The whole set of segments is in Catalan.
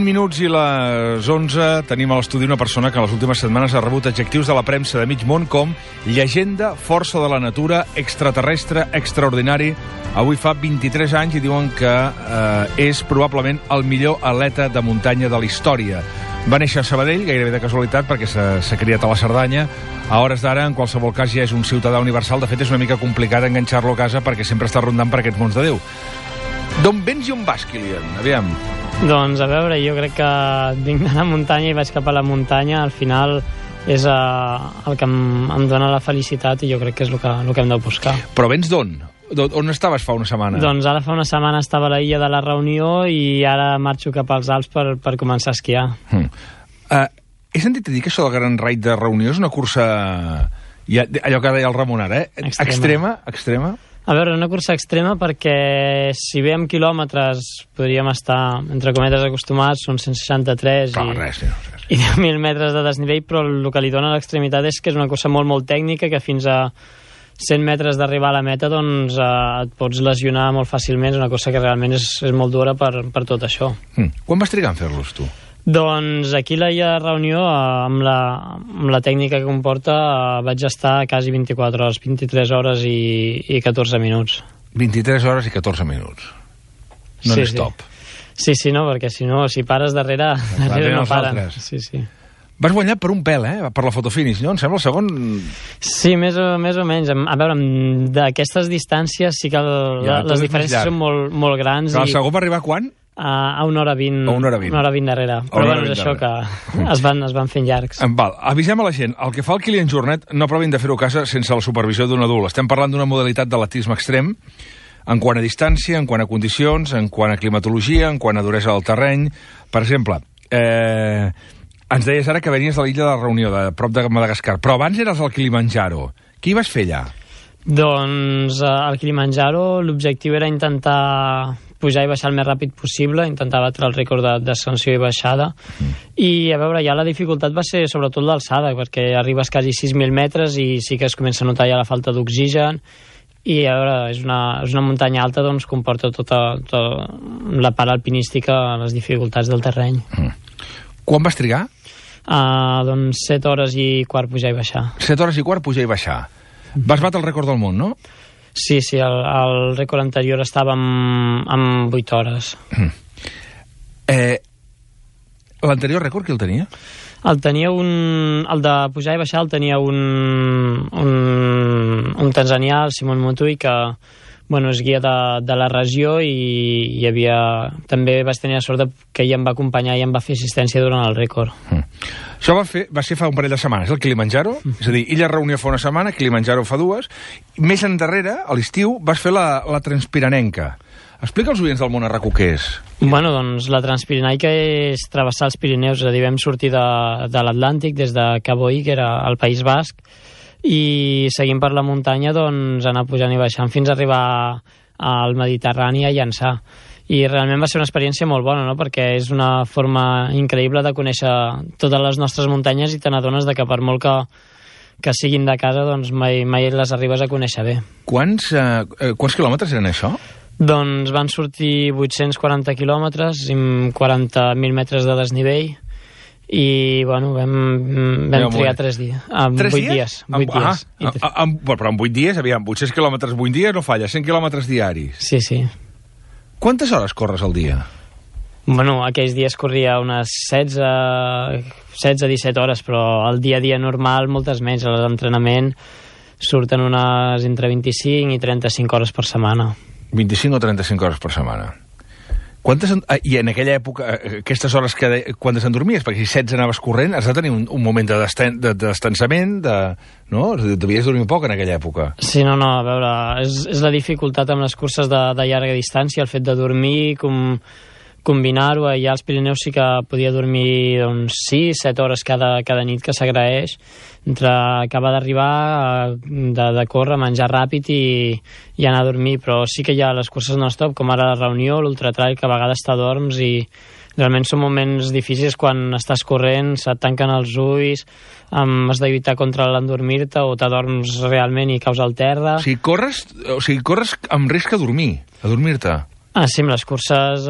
20 minuts i les 11 tenim a l'estudi una persona que en les últimes setmanes ha rebut adjectius de la premsa de mig món com llegenda, força de la natura, extraterrestre, extraordinari. Avui fa 23 anys i diuen que és probablement el millor atleta de muntanya de la història. Va néixer a Sabadell, gairebé de casualitat, perquè s'ha criat a la Cerdanya. A hores d'ara, en qualsevol cas, ja és un ciutadà universal. De fet, és una mica complicat enganxar-lo a casa perquè sempre està rondant per aquests mons de Déu. D'on vens i on vas, Kilian? Aviam. Doncs, a veure, jo crec que vinc de la muntanya i vaig cap a la muntanya. Al final és el que em dona la felicitat i jo crec que és el que hem de buscar. Però vens d'on? On estaves fa una setmana? Doncs ara fa una setmana estava a la illa de la Reunió i ara marxo cap als Alps per començar a esquiar. He sentit a dir que això del Gran Raid de Reunió és una cursa, allò que deia el Ramon ara, extrema? A veure, una cursa extrema perquè si bé amb quilòmetres podríem estar, entre cometes, acostumats, són 163 i 10.000 metres de desnivell, però el que li dona l'extremitat és que és una cursa molt, molt tècnica, que fins a 100 metres d'arribar a la meta doncs, et pots lesionar molt fàcilment. És una cosa que realment és molt dura per tot això. Quan vas trigar en fer-los, tu? Doncs aquí a la Reunió, amb la tècnica que comporta, vaig estar quasi 24 hores, 23 hores i 14 minuts. 23 hores i 14 minuts. No n'és top. Sí, no, perquè si pares darrere no paren. Sí. Vas guanyar per un pèl, per la fotofinish, no? Em sembla el segon... Sí, més o menys. A veure, d'aquestes distàncies sí que les diferències són molt grans. Però el segon va arribar quan? A 1 hora 20. Una hora 20 darrere. Però bueno, és això que es van fent llargs. Val, avisem a la gent. El que fa el Kilian Jornet no provin de fer-ho a casa sense la supervisió d'un adult. Estem parlant d'una modalitat d'atletisme extrem en quant a distància, en quant a condicions, en quant a climatologia, en quant a duresa del terreny. Per exemple, ens deies ara que venies de l'illa de la Reunió, de prop de Madagascar, però abans eres al Kilimanjaro. Què hi vas fer allà? Doncs al Kilimanjaro l'objectiu era intentar pujar i baixar el més ràpid possible, intentar batre el rècord d'ascensió i baixada. I, a veure, ja la dificultat va ser sobretot l'alçada, perquè arribes quasi 6.000 metres i sí que es comença a notar ja la falta d'oxigen. I, a veure, és una muntanya alta, doncs comporta tota la part alpinística, les dificultats del terreny. Quan vas trigar? Doncs 7 hores i quart pujar i baixar. 7 hores i quart pujar i baixar. Vas batre el rècord del món, no? Sí, el rècord anterior estava amb 8 hores. L'anterior rècord qui el tenia? El de pujar i baixar el tenia un tanzanià, el Simon Mutui, que és guia de la regió i també vaig tenir la sort que ell em va acompanyar i em va fer assistència durant el rècord. Això va ser fa un parell de setmanes, el Kilimanjaro, és a dir, Illa Reunió fa una setmana, Kilimanjaro fa 2, més endarrere, a l'estiu, vas fer la Transpirenenca. Explica als oients del món arraco què és. Doncs la Transpirenaica és travessar els Pirineus, és a dir, vam sortir de l'Atlàntic, des de Caboí, que era el País Basc, i seguint per la muntanya, doncs, anar pujant i baixant fins a arribar al Mediterrani a Llançà. I realment va ser una experiència molt bona, no? Perquè és una forma increïble de conèixer totes les nostres muntanyes i te n'adones que per molt que siguin de casa, doncs mai les arribes a conèixer bé. Quants quilòmetres eren això? Doncs van sortir 840 quilòmetres amb 40.000 metres de desnivell i, vam trigar 3 dies. 8 dies. Però en 8 dies, aviam, 800 quilòmetres 8 dies no falla, 100 quilòmetres diaris. Sí. Quantes hores corres al dia? Aquells dies corria unes 16-17 hores, però el dia a dia normal moltes menys. A l'entrenament surten unes entre 25 i 35 hores per setmana. 25 o 35 hores per setmana. I en aquella època, aquestes hores quan t'endormies, perquè si 16 anaves corrent, has de tenir un moment de descansament, no? Devies dormir poc en aquella època. Sí, no, a veure, és la dificultat amb les curses de llarga distància, el fet de dormir, combinar-ho. Ja als Pirineus sí que podia dormir 6-7 hores cada nit, que s'agraeix, entre acabar d'arribar, de córrer, menjar ràpid i anar a dormir. Però sí que hi ha les curses non-stop, com ara la Reunió, l'Ultratrail, que a vegades t'adorms i realment són moments difícils quan estàs corrent, se't tanquen els ulls, has de lluitar contra l'endormir-te o t'adorms realment i caus al terra. O sigui, corres amb risc a dormir-te. Sí, amb les curses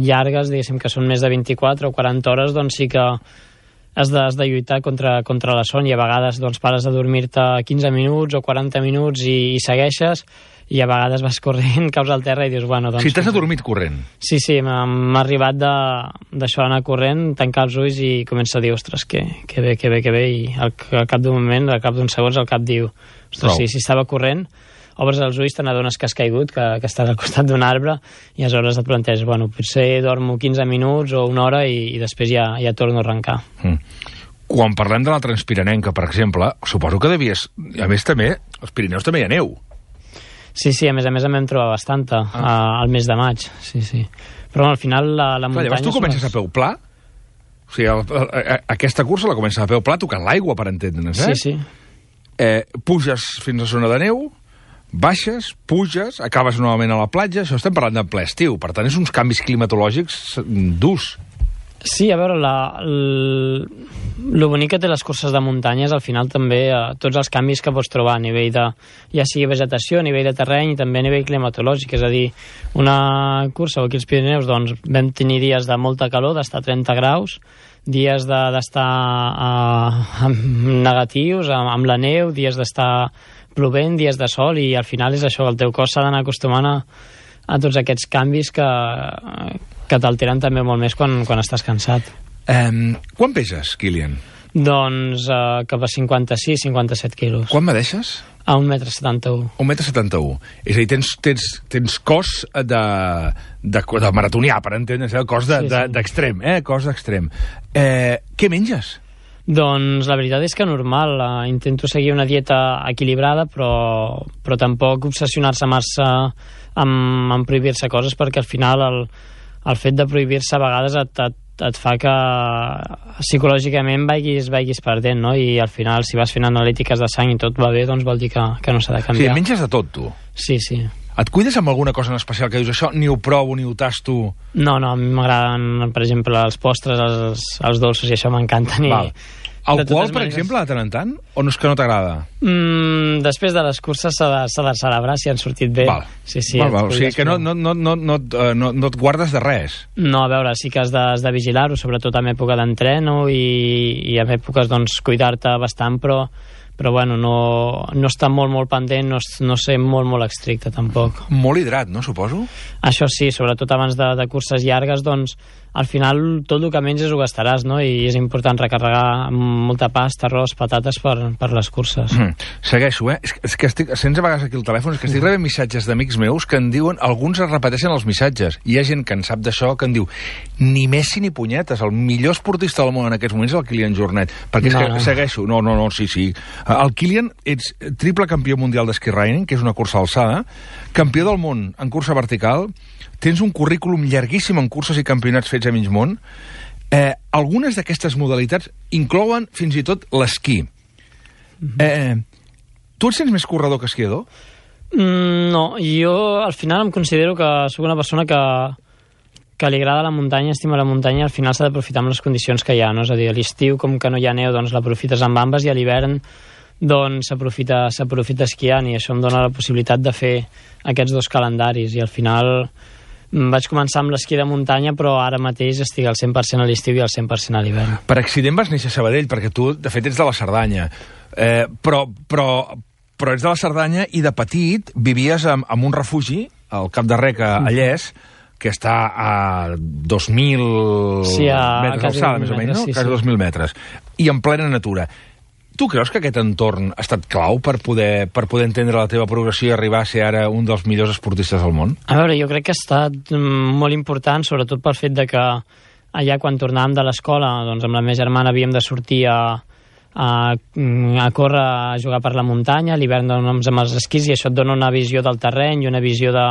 llargues, diguéssim, que són més de 24 o 40 hores, doncs sí que has de lluitar contra la son, i a vegades doncs, pares de dormir-te 15 minuts o 40 minuts i segueixes, i a vegades vas corrent, caus al terra i dius, bueno... Doncs, si t'has adormit corrent. Sí, m'ha arribat d'això, anar corrent, tancar els ulls i comença a dir, ostres, que bé, i al cap d'un moment, al cap d'uns segons, al cap diu, ostres, si estava corrent, obres els ulls, te n'adones que has caigut, que estàs al costat d'un arbre, i aleshores et planteges, bueno, potser dormo 15 minuts o una hora i després ja torno a arrencar. Quan parlem de la Transpirenenca, per exemple, suposo que devies... A més, també, als Pirineus també hi ha neu. Sí, a més em vam trobar bastanta al mes de maig, sí. Però al final la muntanya... Llavors tu comences a peu pla? O sigui, aquesta cursa la comences a peu pla tocant l'aigua, per entendre'ns, Sí. Puges fins a zona de neu, baixes, puges, acabes novament a la platja, això estem parlant de ple estiu, per tant és uns canvis climatològics durs. Sí, a veure, lo bonic que té les curses de muntanya és al final també tots els canvis que pots trobar a nivell de, ja sigui vegetació, a nivell de terreny i també a nivell climatològic, és a dir, una cursa aquí als Pirineus, doncs vam tenir dies de molta calor, d'estar a 30 graus, dies d'estar negatius, amb la neu, dies d'estar plovent, dies de sol, i al final és això, el teu cos s'ha d'anar acostumant a tots aquests canvis que t'alteren també molt més quan estàs cansat. Quan peses, Kilian? Doncs cap a 56-57 quilos. Quan medeixes? A 1,71 m. 1,71 m. És a dir, tens cos de maratonià, per entendre's, cos d'extrem, cos d'extrem. Què menges? Doncs la veritat és que normal, intento seguir una dieta equilibrada, però tampoc obsessionar-se massa amb prohibir-se coses, perquè al final el fet de prohibir-se a vegades et fa que psicològicament vagis perdent, no? I al final, si vas fent analítiques de sang i tot va bé, doncs vol dir que no s'ha de canviar. Sí, menges de tot, tu? Sí. Et cuides amb alguna cosa en especial que dius, això ni ho provo, ni ho tasto? No, a mi m'agraden, per exemple, els postres, els dolços, i això m'encanten. Alcohol, per exemple, de tant en tant? O no és que no t'agrada? Després de les curses s'ha de celebrar si han sortit bé. Val. Sí, o sigui que no et guardes de res. No, a veure, sí que has de vigilar-ho, sobretot en època d'entreno i en èpoques, doncs, cuidar-te bastant, però bueno, no està molt pendent, no ser molt estricte, tampoc. Molt hidrat, no, suposo? Això sí, sobretot abans de curses llargues, doncs, al final tot el que menges ho gastaràs, no? I és important recarregar molta pasta, arròs, patates per les curses. Segueixo, És que estic, sents a vegades aquí el telèfon, és que estic rebent missatges d'amics meus que em diuen, alguns es repeteixen els missatges, i hi ha gent que en sap d'això que em diu, ni Messi ni punyetes, el millor esportista del món en aquests moments és el Kilian Jornet, perquè és que segueixo, sí. El Kilian, ets triple campió mundial d'esquí riding, que és una cursa alçada, campió del món en cursa vertical, tens un currículum llarguíssim en curses i campionats fets a mig món. Algunes d'aquestes modalitats inclouen fins i tot l'esquí. Tu et sents més corredor que esquiador? No, jo al final em considero que soc una persona que li agrada la muntanya, estima la muntanya, i al final s'ha d'aprofitar amb les condicions que hi ha, no? És a dir, a l'estiu, com que no hi ha neu, doncs l'aprofites amb ambes, i a l'hivern doncs s'aprofita esquiant, i això em dona la possibilitat de fer aquests dos calendaris, i al final vaig començar amb l'esquí de muntanya, però ara mateix estic al 100% a l'estiu i al 100% a l'hivern. Per accident vas néixer a Sabadell, perquè tu, de fet, ets de la Cerdanya. Però ets de la Cerdanya i de petit vivies en un refugi, al Cap de Rec, a Lles, que està a 2.000 metres d'alçada, més o menys, no? Quasi 2.000 metres. I en plena natura. Tu creus que aquest entorn ha estat clau per poder entendre la teva progressió i arribar a ser ara un dels millors esportistes del món? A veure, jo crec que ha estat molt important, sobretot pel fet de que allà, quan tornàvem de l'escola, doncs amb la meva germana havíem de sortir a córrer, a jugar per la muntanya, a l'hivern doncs amb els esquís, i això et dona una visió del terreny i una visió de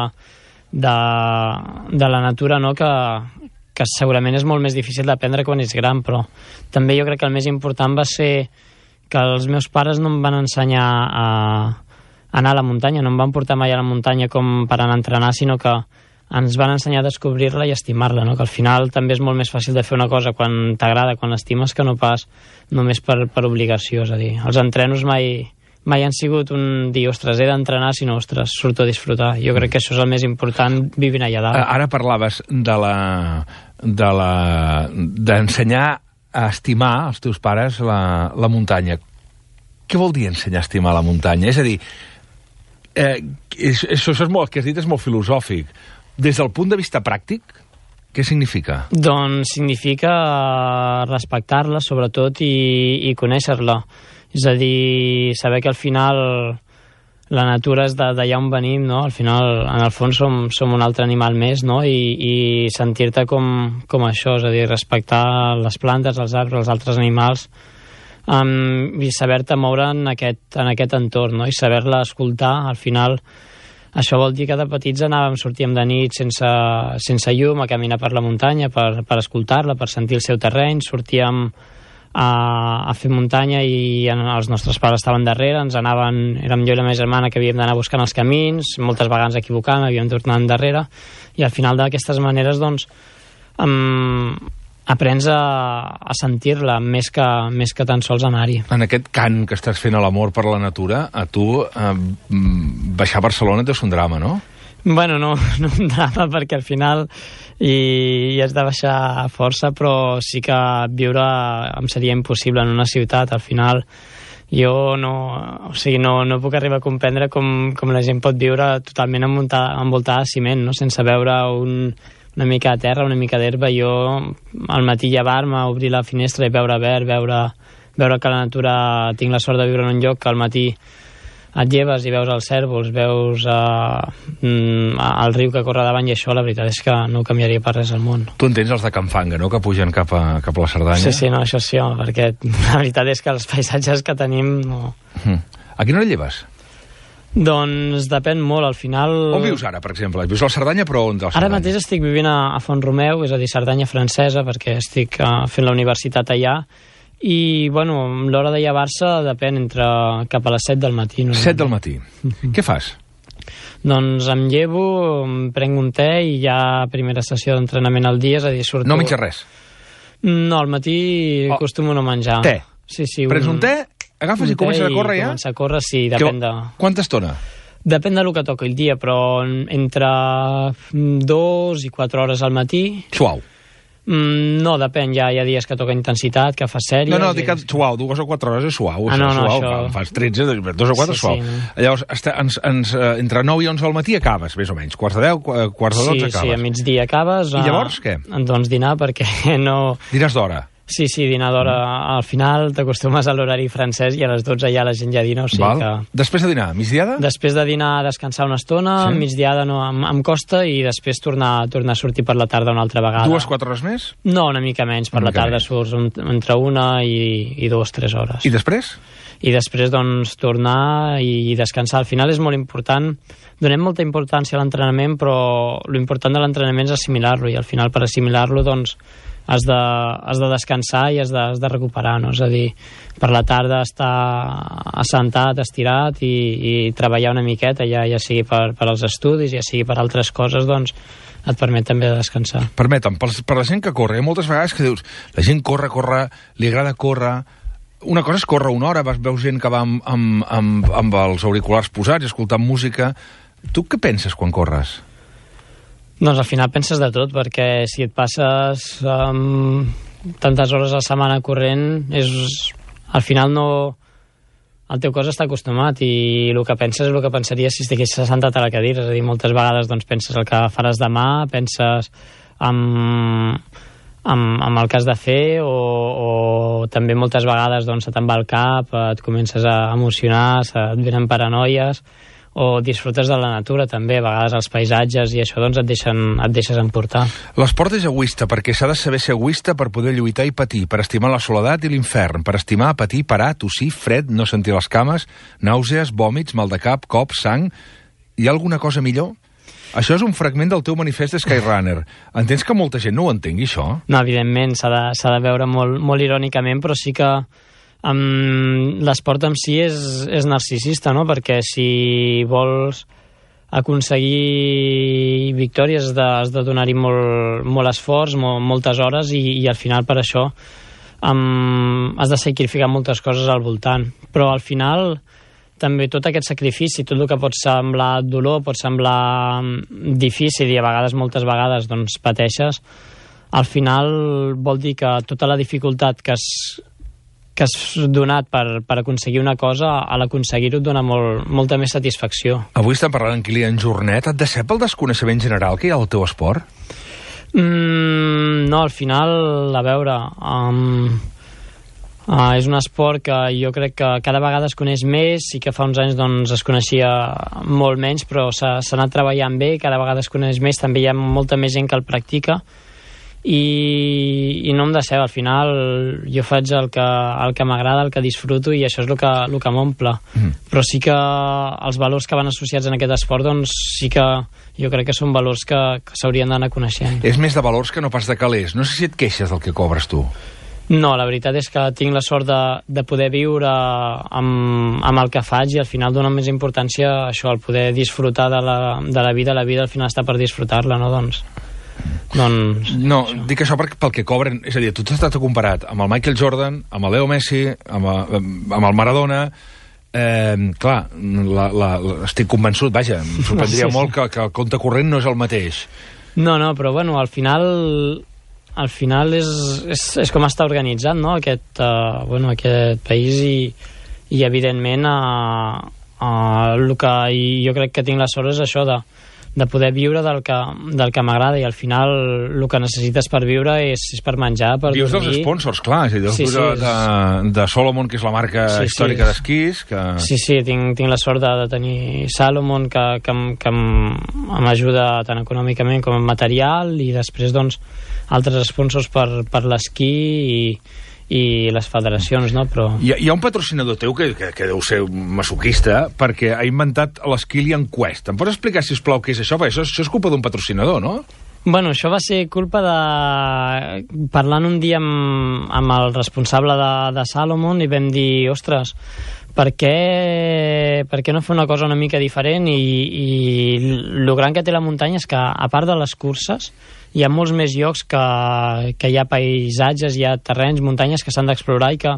la natura, no?, que segurament és molt més difícil d'aprendre quan ets gran, però també jo crec que el més important va ser que els meus pares no em van ensenyar a anar a la muntanya, no em van portar mai a la muntanya com per anar a entrenar, sinó que ens van ensenyar a descobrir-la i estimar-la, no? Que al final també és molt més fàcil de fer una cosa quan t'agrada, quan l'estimes, que no pas només per obligació. És a dir, els entrenos mai mai han sigut un dir, ostres, he d'entrenar, sinó, ostres, surto a disfrutar. Jo crec que això és el més important vivint allà dalt. Ara parlaves d'ensenyar a estimar als teus pares la muntanya. Què vol dir ensenyar a estimar la muntanya? És a dir, això és molt, el que has dit és molt filosòfic. Des del punt de vista pràctic, què significa? Doncs significa respectar-la, sobretot, i conèixer-la. És a dir, saber que al final la natura és d'allà on venim, no? Al final, en el fons, som un altre animal més, no? I sentir-te com això, és a dir, respectar les plantes, els arbres, els altres animals, i saber-te moure en aquest entorn, no? I saber-la escoltar. Al final, això vol dir que de petits sortíem de nit sense llum a caminar per la muntanya, per escoltar-la, per sentir el seu terreny, sortíem a fer muntanya i els nostres pares estaven darrere, érem jo i la meva germana que havíem d'anar buscant els camins, moltes vegades equivocant, havíem tornat endarrere, i al final d'aquestes maneres doncs aprens a sentir-la més que tan sols anar-hi. En aquest cant que estàs fent a l'amor per la natura, a tu baixar a Barcelona deu ser un drama, no? Bueno, no un drama, perquè al final i has de baixar força, però sí que viure em seria impossible en una ciutat. Al final jo no puc arribar a comprendre com la gent pot viure totalment envoltada de ciment, no? Sense veure una mica de terra, una mica d'herba. Jo al matí llevar-me, obrir la finestra i veure verd, veure que la natura, tinc la sort de viure en un lloc que al matí et lleves i veus els cérvols, veus el riu que corre davant, i això la veritat és que no ho canviaria per res al món. Tu entens els de Can Fanga, no?, que pugen cap a la Cerdanya? Sí, no, això sí, perquè la veritat és que els paisatges que tenim no... A quina hora lleves? Doncs depèn molt, al final... On vius ara, per exemple? Vius a la Cerdanya, però on de la Cerdanya? Ara mateix estic vivint a Font-romeu, és a dir, Cerdanya francesa, perquè estic fent la universitat allà. I, bueno, l'hora de llevar-se depèn cap a les 7 del matí. 7 del matí. Què fas? Doncs em llevo, em prenc un te i ja primera sessió d'entrenament al dia, és a dir, surto... No menges res? No, al matí acostumo no menjar. Te? Sí. Prens un te, agafes i comences a córrer ja? Comença a córrer, sí, depèn de... Quanta estona? Depèn del que toca el dia, però entre 2 i 4 hores al matí... Suau? No, depèn, hi ha dies que toca intensitat, que fa sèries... No, dic que suau, 2 o 4 hores és suau. No, suau, això... Fas 13, 2 o 4 és suau. Sí, no. Llavors, entre 9 i 11 al matí acabes, més o menys. Quarts de 10, quarts de 12 acabes. Sí, a migdia acabes. I llavors què? Doncs dinar, perquè no... Dines d'hora? Sí, dinar d'hora. Al final t'acostumes a l'horari francès i a les 12 ja la gent ja dina, o sigui que... Després de dinar, migdiada? Després de dinar, descansar una estona, sí? Migdiada no, em costa, i després tornar a sortir per la tarda una altra vegada. 2-4 hores més? No, una mica menys. Per la tarda surts entre 1 i 2-3 hores. I després? I després, doncs, tornar i descansar. Al final és molt important. Donem molta importància a l'entrenament, però l'important de l'entrenament és assimilar-lo, i al final, per assimilar-lo, doncs, has de descansar i has de recuperar, no? És a dir, per la tarda estar assentat, estirat i treballar una miqueta, ja sigui per als estudis, ja sigui per altres coses, doncs et permet també de descansar. Permetem, per la gent que corre, hi ha moltes vegades que dius, la gent corre, li agrada córrer. Una cosa és córrer una hora, veus gent que va amb els auriculars posats i escoltant música. Tu què penses quan corres? Doncs al final penses de tot, perquè si et passes tantes hores a la setmana corrent, al final no... El teu cos està acostumat, i el que penses és el que pensaries si estiguessis assentat a la cadira. És a dir, moltes vegades doncs, penses el que faràs demà, penses amb el que has de fer, o també moltes vegades doncs, se te'n va el cap, et comences a emocionar, et venen paranoies, o disfrutes de la natura també, a vegades els paisatges, i això doncs et deixes emportar. L'esport és egoista, perquè s'ha de saber ser egoista per poder lluitar i patir, per estimar la soledat i l'infern, per estimar, patir, parar, tossir, fred, no sentir les cames, nàusees, vòmits, mal de cap, cops, sang... Hi ha alguna cosa millor? Això és un fragment del teu manifest de Skyrunner. Entens que molta gent no ho entengui, això? No, evidentment, s'ha de veure molt irònicament, però sí que l'esport en si és narcisista, no? Perquè si vols aconseguir victòries has de donar-hi molt esforç, moltes hores, i al final per això has de sacrificar moltes coses al voltant. Però al final també tot aquest sacrifici, tot el que pot semblar dolor, pot semblar difícil i a vegades, moltes vegades, doncs pateixes, al final vol dir que tota la dificultat que has donat per aconseguir una cosa, a l'aconseguir-ho et dona molta més satisfacció. Avui estem parlant amb Kilian Jornet. Et decep el desconeixement general que hi ha al teu esport? No, al final, a veure, és un esport que jo crec que cada vegada es coneix més, i que fa uns anys doncs, es coneixia molt menys, però s'ha anat treballant bé, cada vegada es coneix més, també hi ha molta més gent que el practica, i no em decep. Al final jo faig el que m'agrada, el que disfruto, i això és el que m'omple. Però sí que els valors que van associats en aquest esport, doncs sí que jo crec que són valors que s'haurien d'anar coneixent. És més de valors que no pas de calés. No sé si et queixes del que cobres tu. No, la veritat és que tinc la sort de poder viure amb el que faig, i al final dona més importància a això, el poder disfrutar de la vida. La vida al final està per disfrutar-la, no? Doncs no, això. Dic això pel que cobren. És a dir, tu t'has estat comparat amb el Michael Jordan, amb el Leo Messi, amb el Maradona. Clar, estic convençut, vaja, em sorprendria molt que el compte corrent no és el mateix. No, però bueno, al final és com està organitzat, no? Aquest país, i evidentment el que jo crec que tinc la sort és això, de poder viure del que m'agrada, i al final el que necessites per viure és per menjar, per dormir. Vius dels sponsors, clar, és a dir, de Salomon, que és la marca històrica d'esquís. Sí, tinc la sort de tenir Salomon, que m'ajuda tant econòmicament com en material, i després doncs altres sponsors per l'esquí i les federacions, no? Però hi ha un patrocinador teu que deu ser masoquista, perquè ha inventat l'Skilian Quest. Em pots explicar, sisplau, què és això? Perquè això és culpa d'un patrocinador, no? Bueno, això va ser culpa de... Parlant un dia amb el responsable de Salomon, i vam dir, ostres, per què no fer una cosa una mica diferent? I el gran que té la muntanya és que, a part de les curses, hi ha molts més llocs que hi ha paisatges, hi ha terrenys, muntanyes que s'han d'explorar, i que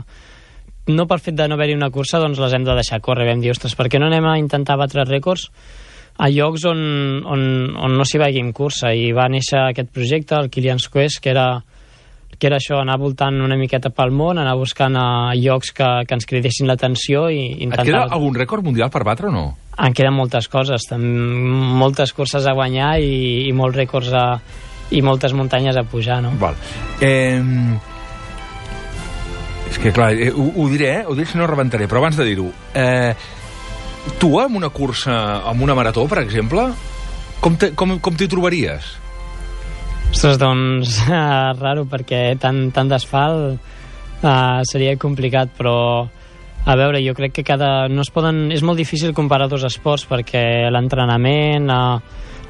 no per fet de no haver-hi una cursa doncs les hem de deixar córrer. Vam dir, ostres, per què no anem a intentar batre rècords a llocs on no s'hi vagi amb cursa? I va néixer aquest projecte, el Kilian's Quest, que era això, anar voltant una miqueta pel món, anar buscant llocs que ens cridessin l'atenció i intentar... Et queda algun rècord mundial per batre o no? En queden moltes coses, moltes curses a guanyar i molts rècords i moltes muntanyes a pujar, no? Val. És que, clar, ho diré si no rebentaré, però abans de dir-ho, tu amb una cursa, amb una marató, per exemple, com t'hi trobaries? Ostres, doncs, raro, perquè tant d'asfalt seria complicat, però a veure, jo crec que és molt difícil comparar dos esports, perquè l'entrenament,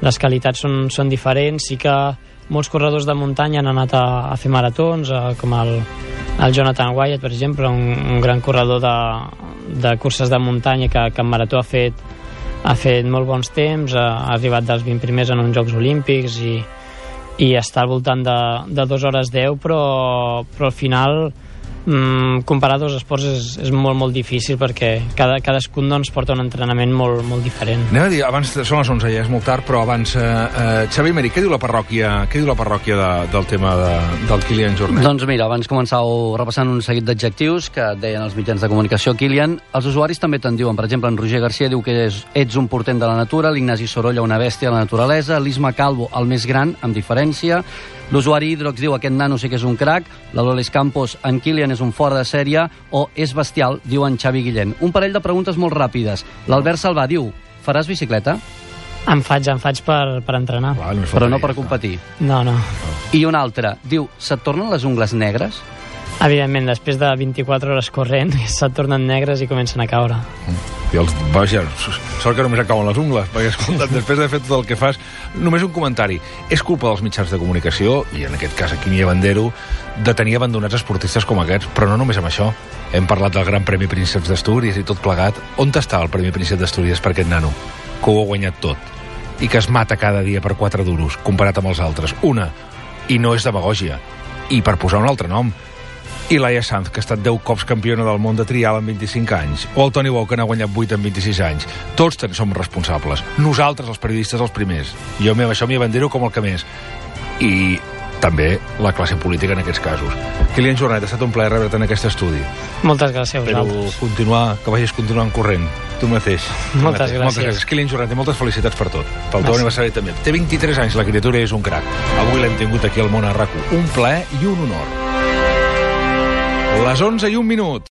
les qualitats són diferents. Sí que molts corredors de muntanya han anat a fer maratons, com el Jonathan Wyatt, per exemple, un gran corredor de curses de muntanya que en marató ha fet molt bons temps, ha arribat dels 20 primers en uns Jocs Olímpics, i està al voltant de 2 hores 10, però al final comparar dos esports és molt, molt difícil, perquè cadascun doncs porta un entrenament molt, molt diferent. Anem a dir, abans són les 11, ja és molt tard, però abans, Xavi Meri, què diu la parròquia del tema del Kilian Jornet? Doncs mira, abans començàveu repassant un seguit d'adjectius que deien els mitjans de comunicació. Kilian, els usuaris també te'n diuen. Per exemple, en Roger Garcia diu que ets un portent de la natura, l'Ignasi Sorolla una bèstia de la naturalesa, l'Isma Calvo el més gran, amb diferència, l'usuari Hidrox diu aquest nano sí que és un crac, la Loles Campos, en Kilian és un fora de sèrie, o és bestial, diu en Xavi Guillén. Un parell de preguntes molt ràpides. L'Albert Salvà diu, faràs bicicleta? En faig per entrenar. Però no per competir. No. I una altra, diu, se't tornen les ungles negres? Evidentment, després de 24 hores corrent, se't tornen negres i comencen a caure. Vaja, sort que només acaben les ungles, perquè, escolta, després de fer tot el que fas... Només un comentari. És culpa dels mitjans de comunicació, i en aquest cas aquí Quimi Bandero, de tenir abandonats esportistes com aquests, però no només amb això. Hem parlat del Gran Premi Prínceps d'Astúries i tot plegat. On està el Premi Príncep d'Astúries per aquest nano, que ho ha guanyat tot, i que es mata cada dia per 4 duros, comparat amb els altres? Una, i no és demagògia, i per posar un altre nom, I Laia Sanz, que ha estat 10 cops campiona del món de trial en 25 anys. O el Toni Bou, que n'ha guanyat 8 en 26 anys. Tots som responsables. Nosaltres, els periodistes, els primers. Jo això m'hi abandero com el que més. I també la classe política en aquests casos. Kilian Jornet, ha estat un plaer rebre't en aquest estudi. Moltes gràcies a vosaltres. Però que vagis continuant corrent. Tu mateix. Moltes gràcies. Kilian Jornet, moltes felicitats per tot. Pel teu aniversari també. Té 23 anys, la criatura és un crac. Avui l'hem tingut aquí al Món a RAC1. Un plaer i un honor. Les 11:01.